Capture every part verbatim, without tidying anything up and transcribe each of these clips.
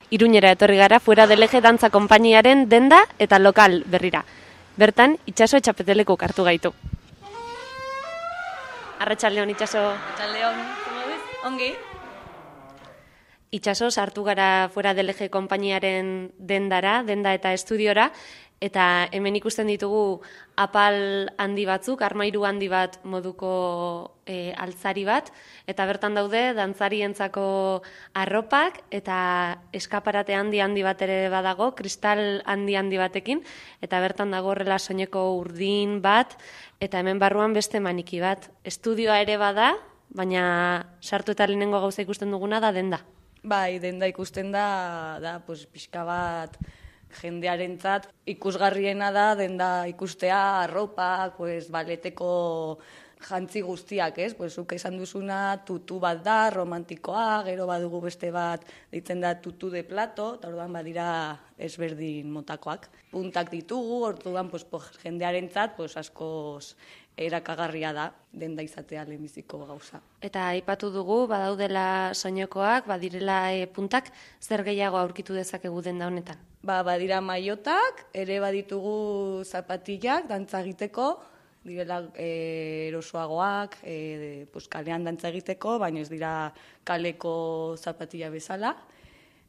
Iruñera etorri gara Fuera del Eje dantza konpainiaren denda eta lokal berrira. Bertan, Itxaso etxapetelekuk hartu gaitu. Arratsaldeon Itxaso. Arratsaldeon, ongi. Itxaso sartu gara Fuera del Eje konpainiaren dendara, denda eta estudiora, eta hemen ikusten ditugu apal handi batzuk, armairu handi bat moduko e, altzari bat, eta bertan daude dantzarientzako arropak eta eskaparate handi handi bat ere badago, kristal handi handi batekin, eta bertan dago horrela soineko urdin bat, eta hemen barruan beste maniki bat. Estudioa ere bada, baina sartu eta lehenengo gauza ikusten duguna da denda. Bai, denda ikusten da, da, pues, pixka bat jendearentzat ikusgarriena da denda ikustea, arropak, pues, baleteko jantzi guztiak, ez? Pues, zuk esan duzuna tutu bat da, romantikoa, gero badugu beste bat ditzen da tutu de plato, eta orduan badira ezberdin motakoak. Puntak ditugu, orduan pues, pues, jendearentzat pues, askoz erakagarria da denda izatea lehenbiziko gauza. Eta aipatu dugu, badaudela soinekoak, badirela e, puntak, zer gehiago aurkitu dezakegu denda honetan? Ba, badira maiotak, ere baditugu zapatillak dantza egiteko, direla e, erosoagoak, e, pues, kalean dantza egiteko, baina ez dira kaleko zapatilla bezala.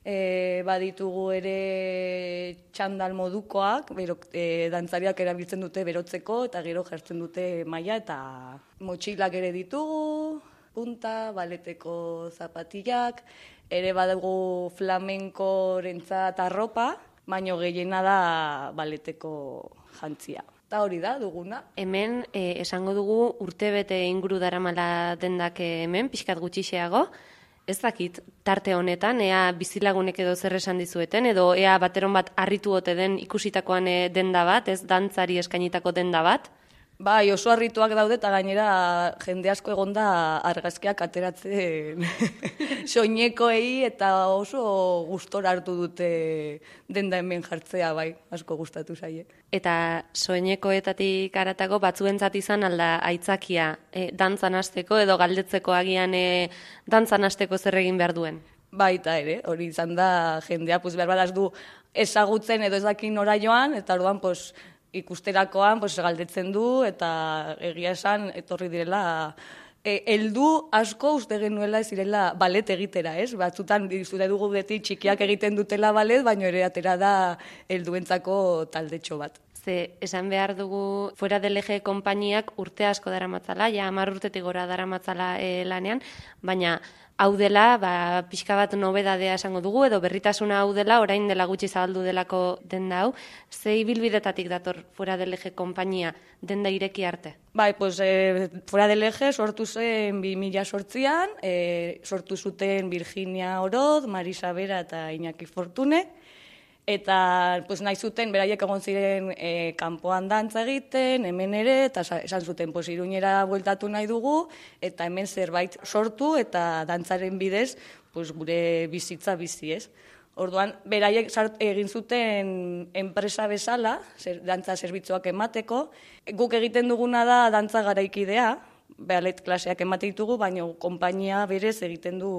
E, baditugu ere txandal modukoak, bero, e, dantzariak erabiltzen dute berotzeko, eta gero jartzen dute maila eta motxilak ere ditugu, punta, baleteko zapatillak, ere badugu flamenkorentzat arropa, baino gehiena da baleteko jantzia. Eta hori da, duguna. Hemen, eh, esango dugu urtebete inguru daramala dendak hemen, pixkat gutxixeago, ez dakit tarte honetan, ea bizilagunek edo zer esan dizueten, edo ea bateron bat harritu ote den ikusitakoan denda bat, ez dantzari eskainitako denda bat? Bai, oso harrituak daude eta gainera jende asko egonda argazkiak ateratzen soinekoei eta oso gustora hartu dute denda hemen jartzea, bai, asko gustatu zaie. Eta soinekoetatik haratago batzuentzat izan alda aitzakia e, dantzan hasteko edo galdetzeko agian e, dantzan hasteko zer egin behar duen? Baita ere, hori izan da jendea, pues, behar badaz du ezagutzen edo ez dakin nora joan, eta orduan, pues, ikusterakoan pues, galdetzen du eta egia esan etorri direla e, heldu asko uste genuela ez direla balet egitera, ez? Batzutan zure dugu beti txikiak egiten dutela balet, baina ere atera da helduentzako taldetxo bat. Ze, esan behar dugu Fuera del Eje konpainiak urte asko daramatzala, ja hamar urtetik gora daramatzala e, lanean, baina hau dela, ba, pixka bat nobedadea esango dugu, edo berritasuna hau dela, orain dela gutxi zabaldu delako denda hau. Ze ibilbidetatik dator Fuera del Eje konpainia denda ireki arte? Bai, pues, e, Fuera del Eje sortu zen bi mila zortzian, e, sortu zuten Virginia Oroz, Marisa Bera eta Iñaki Fortune, eta pues, nahi zuten, beraiek egon ziren e, kanpoan dantza egiten, hemen ere, eta esan zuten, pues, Iruñera bueltatu nahi dugu, eta hemen zerbait sortu, eta dantzaren bidez, pues, gure bizitza bizi, ez? Orduan, beraiek egin zuten enpresa bezala, zer, dantza zerbitzuak emateko, guk egiten duguna da dantza garaikidea, ballet klaseak emate ditugu, baina konpainia berez egiten du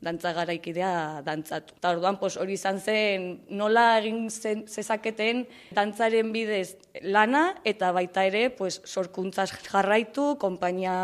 dantza garaikidea dantzatu. Eta orduan, pues, hori izan zen nola egin zen, zezaketen dantzaren bidez lana, eta baita ere pues, sorkuntzaz jarraitu, konpainia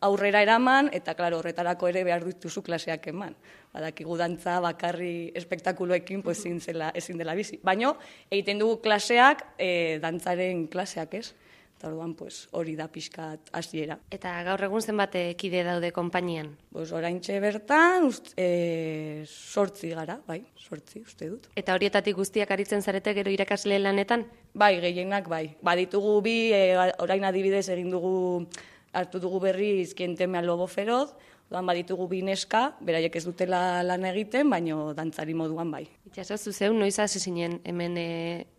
aurrera eraman, eta klaro, horretarako ere behar dituzu klaseak eman. Badakigu dantza bakarri espektakuloekin pues, ezin, zela, ezin dela bizi. Baina egiten dugu klaseak, e, dantzaren klaseak, ez? Eta orduan, pues, hori da pixkat hasiera. Eta gaur egun zenbat kide daude konpainian? Pues, oraintxe bertan, ust, e, sortzi gara, bai, sortzi, uste dut. Eta horietatik guztiak aritzen zarete gero irakasle lanetan? Bai, gehienak bai. Baditugu bi, e, orain adibidez egin dugu, hartu dugu berriz Kientemea Lobo Feroz, Odan baditugu bi neska, beraiek ez dutela lan egiten, baino dantzari moduan bai. Itxaso, zuzeu, noiz hasi zinen hemen e,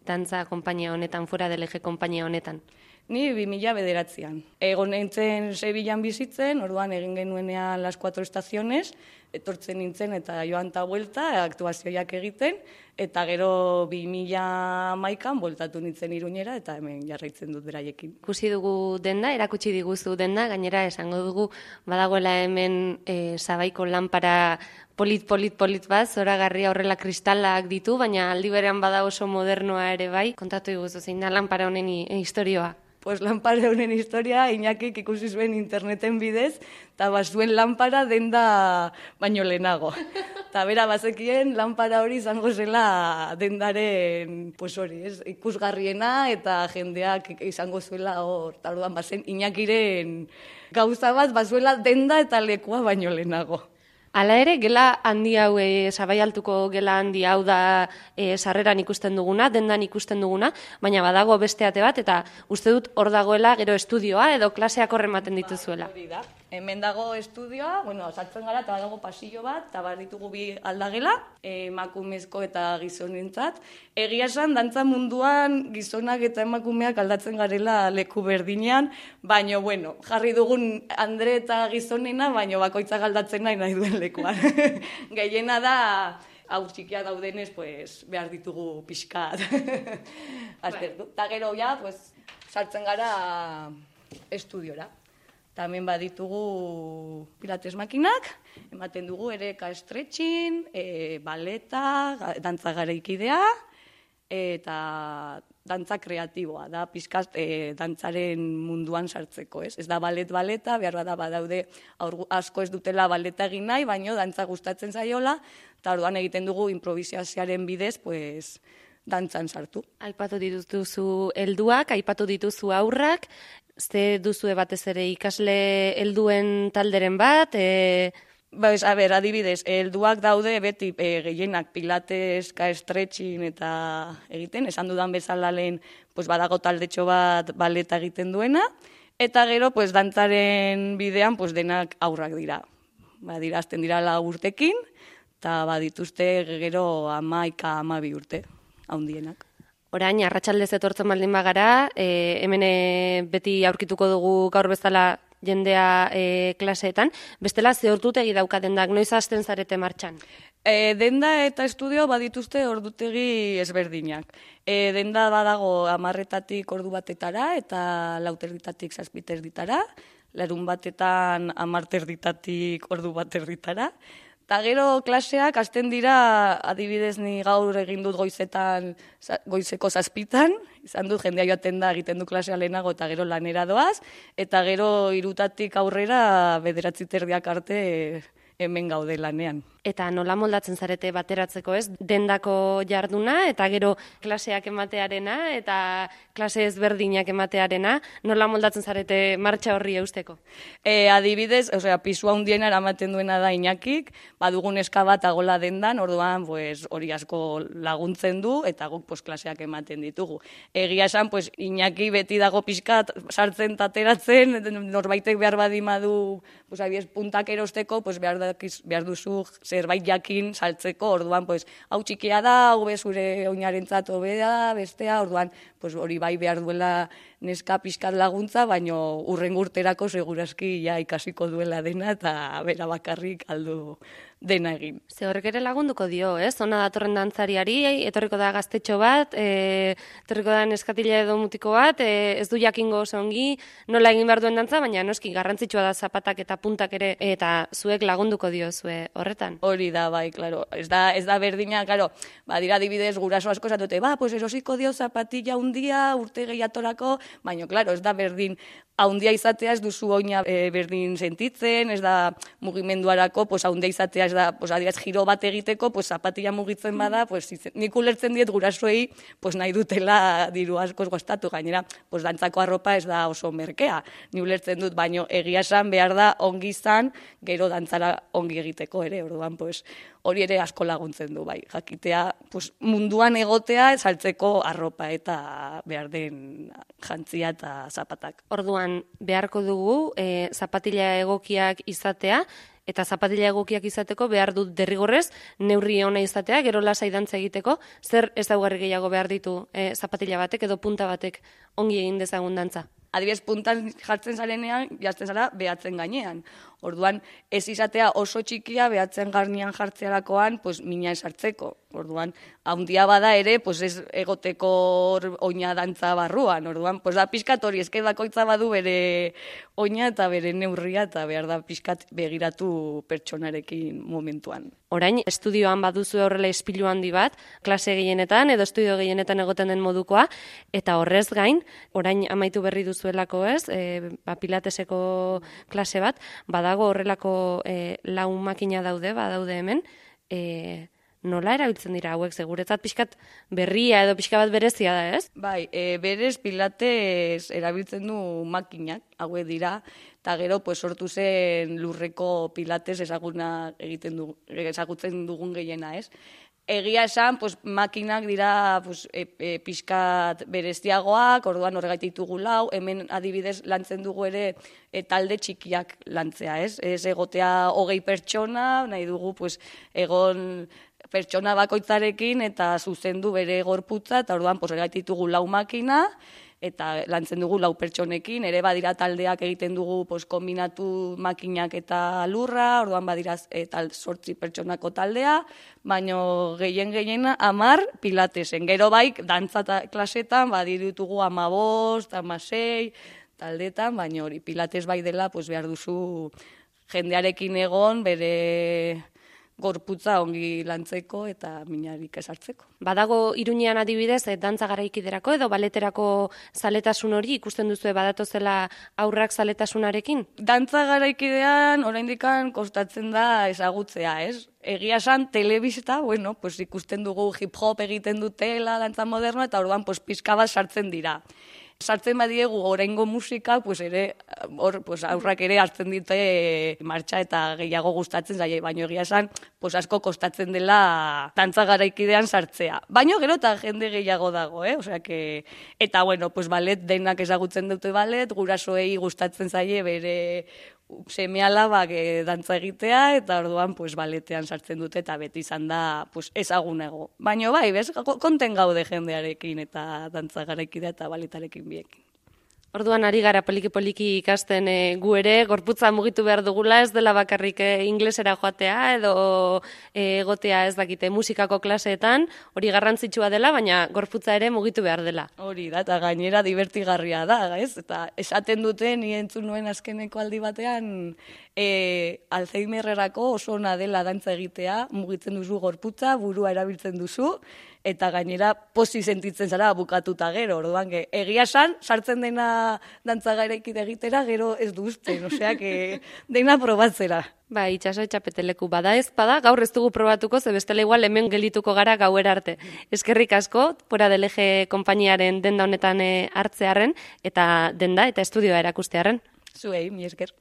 dantza konpainia honetan, Fuera del Eje konpainia honetan? Ni bi mila bederatzean. Egon nintzen Sevillan bizitzen, orduan egin genuenean Las Cuatro Estaciones, etortzen nintzen eta joan ta buelta, aktuazioak egiten, eta gero bi mila hamaikan bueltatu nintzen Iruñera eta hemen jarraitzen dut beraiekin. Ikusi dugu denda, erakutsi diguzu denda, gainera esango dugu badagoela hemen e, Sabaiko lanpara polit, polit, polit bat, zoragarria horrela kristalak ditu, baina aldi berean bada oso modernoa ere bai. Kontatu diguzu zein da lanpara honen historioa. Pues lanpara honen historia, Iñakik ikusi zuen interneten bidez, eta bazuen lanpara denda baino lehenago. Eta bera bazekien lanpara hori izango zela dendaren, pues hori, ez, ikusgarriena eta jendeak izango zuela hor. Eta orduan bazen Iñakiren gauza bat bazuela denda eta lekua baino lehenago. Hala ere, gela handi hau, e, Sabai Altuko gela handi hau da e, sarreran ikusten duguna, dendan ikusten duguna, baina badago beste ate bat, eta uste dut hor dagoela gero estudioa edo klaseak horrematen dituzuela. Hori da. Hemen dago estudioa, bueno, sartzen gara, eta badago pasillo bat, eta bar ditugu bi aldagela, emakumezko eta gizonentzat. Egia esan, dantza munduan gizonak eta emakumeak aldatzen garela leku berdinean, baino, bueno, jarri dugun Andre eta gizonena, baino bakoitzak aldatzen nahi nahi duen lekuan. Gehiena da, hau txikia daudenez, pues, behar ditugu pixkat. Aztertu. Eta gero, ja, pues, sartzen gara estudiora. Hemen baditugu pilates makinak, ematen dugu ere ka-stretching, e, baleta, dantza garaikidea, eta dantza kreatiboa, da pizkaz e, dantzaren munduan sartzeko, ez? Ez da balet baleta, behar bada badaude asko ez dutela baleta egin nahi, baino dantza gustatzen zaiola, eta orduan egiten dugu improvisazioaren bidez, pues, dantzan sartu. Aipatu dituzu helduak, aipatu dituzu aurrak, ze duzue batez ere ikasle helduen talderen bat, e... Ba, a ber, adibidez, helduak daude beti e, gehienak pilates, ka-stretching eta egiten, esan dudan bezala lehen pues, badago taldetxo bat baleta egiten duena, eta gero pues, dantzaren bidean pues, denak aurrak dira. Ba, dira, azten dira lau urtekin, eta badituzte gero amaika amabi urte, haundienak. Orain, arratsaldez etortzen baldin bagara, e, hemen e, beti aurkituko dugu gaur bezala jendea e, klaseetan. Bestela, ze ordutegi dauka dendak, noiz hasten zarete martxan? E, denda eta estudio badituzte ordutegi ezberdinak. E, denda badago hamarretatik ordu batetara eta lauterditatik zazpiterditara, larun batetan hamarterditatik ordu baterditara. Eta gero klaseak hasten dira, adibidez ni gaur egin dut goizetan, goizeko zazpitan, izan dut jendea joaten da egiten du klasea lehenago eta gero lanera doaz, eta gero hirutatik aurrera bederatzi terdiak arte hemen gaude lanean. Eta nola moldatzen zarete bateratzeko, ez? Dendako jarduna eta gero klaseak ematearena eta klase ezberdinak ematearena, nola moldatzen zarete martxa horri eusteko? E, adibidez, osea, pisua hundiena eramaten duena da Iñakik, badugun eska bat agola dendan, orduan pues, hori asko laguntzen du eta guk pues, klaseak ematen ditugu. Egia esan, pues, Iñaki beti dago pixkat sartzen tateratzen, norbaitek behar badimadu pues, abiez, puntak erosteko, pues, behar, dakiz, behar duzu zerbait jakin saltzeko, orduan, pues, hau txikia da, hau be zure oinarentzat hobea, bestea, orduan, pues, hori bai behar duela neska pixkat laguntza, baino hurrengo urterako segurazki ja ikasiko duela dena eta bera bakarrik aldu dena egin. Ze horrek ere lagunduko dio, ez? Ona datorren dantzariari, etorriko da gaztetxo bat, e, etorriko da neskatila edo mutiko bat, e, ez du jakingo oso ongi, nola egin behar duen dantza, baina noski garrantzitsua da zapatak eta puntak ere, eta zuek lagunduko dio zue horretan. Hori da, bai, klaro. Ez da, ez da berdina, klaro, ba, dira adibidez guraso asko esatute, ba, pues erosiko dio zapatilla hundia urte gehiatorako, baina, klaro, ez da berdin haundia izatea ez duzu oina e, berdin sentitzen, ez da mugimenduarako, pues haundia izatea ez da, pues adibidez giro bat egiteko, pues zapatilla mugitzen bada, pues nik ulertzen diet gurasoei, pues nahi dutela diru askoz gastatu, gainera, pues dantzako arropa ez da oso merkea. Ni ulertzen dut, baino egia esan behar da ongi izan, gero dantzara ongi egiteko ere, orduan, pues hori ere asko laguntzen du, bai, jakitea, pues munduan egotea saltzeko arropa eta behar den jantzia eta zapatak. Orduan, beharko dugu e, zapatila egokiak izatea, eta zapatila egokiak izateko behar dut derrigorrez neurri ona izatea, gero lasai dantza egiteko, zer ezaugarri gehiago behar ditu e, zapatila batek edo punta batek ongi egin dezagun dantza? Adibidez, puntan jartzen zarenean, jazten zara behatzen gainean. Orduan, ez izatea oso txikia behatzen garnian jartzearakoan, pues, mina esartzeko. Orduan, haundia bada ere, pues, ez egoteko oina dantza barruan. Orduan, pues, da pixkat hori, ezke bakoitza badu bere oina eta bere neurria, eta behar da pixkat begiratu pertsonarekin momentuan. Orain, estudioan baduzu horrela ispilu handi bat, klase gehienetan edo estudio gehienetan egoten den modukoa, eta horrez gain, orain amaitu berri duzuelako ez, e, ba, pilateseko klase bat, badago horrelako e, lau makina daude, badaude hemen, e, nola erabiltzen dira hauek, seguretzat pixkat berria edo pixka bat berezia da, ez? Bai, e, berez pilates erabiltzen du makinak, hauek dira, eta gero pues, sortu zen lurreko pilates ezaguna egiten du, ezagutzen dugun gehiena, ez? Egia esan, pues, makinak dira pues, e, e, pixkat bereziagoak, orduan horregaitik dugu lau, hemen adibidez lantzen dugu ere e, talde txikiak lantzea, ez? Ez egotea hogei pertsona, nahi dugu pues, egon pertsona bakoitzarekin eta zuzendu bere gorputza, eta orduan pues, horregaitik dugu lau makina, eta lantzen dugu lau pertsonekin, ere badira taldeak egiten dugu pues, kombinatu makinak eta lurra, orduan badira eta sortzi pertsonako taldea, baino gehien gehiena amar pilatesen. Gero baik, dantza klasetan badiritugu amabost, amasei, taldetan, baino hori pilates bai dela pues, behar duzu jendearekin egon bere gorputza ongi lantzeko eta minarik esartzeko. Badago Iruñean adibidez, eh, dantza garaikiderako edo baleterako zaletasun hori ikusten duzu badatozela aurrak zaletasunarekin? Dantza garaikidean oraindikan kostatzen da ezagutzea, ez? Egia esan, telebista, bueno, pues ikusten dugu hip-hop egiten dutela, dantza moderno, eta orduan pues, pizka bat sartzen dira. Sartzen badiegu oraingo musika, pues ere hor pues aurrak ere hartzen dute martxa eta gehiago gustatzen zaie, baino egia esan, pues asko kostatzen dela dantza garaikidean sartzea. Baino gero eta jende gehiago dago, eh? Osea que eta bueno, pues ballet denak ezagutzen dute ballet, gurasoei gustatzen zaie bere seme-alabak e, dantza egitea, eta orduan pues, baletean sartzen dute, eta beti izan da pues, ezagunego. Baina bai, bez, konten gaude jendearekin, eta dantza garaikidea eta baletarekin biekin. Orduan ari gara poliki-poliki ikasten e, gu ere, gorputza mugitu behar dugula, ez dela bakarrik e, inglesera joatea, edo e, egotea ez dakite musikako klaseetan, hori garrantzitsua dela, baina gorputza ere mugitu behar dela. Hori da, eta gainera divertigarria da, ez? Eta esaten dute, ni entzun nuen azkeneko aldi batean, e, Alzheimerrerako oso ona dela dantza egitea, mugitzen duzu gorputza, burua erabiltzen duzu, eta gainera posi sentitzen zara bukatuta gero, orduan, ge, egia san, sartzen dena dantza garaikide egitera, gero ez duzten, osea, que dena probatzera. Ba, itxaso etxapeteleku bada ez bada, gaur ez dugu probatuko, ze bestela igual hemen gelituko gara gauera arte. Eskerrik asko, Fuera del Eje konpainiaren denda honetan hartzearren, eta denda eta estudioa erakustearren. Zuei, mi esker.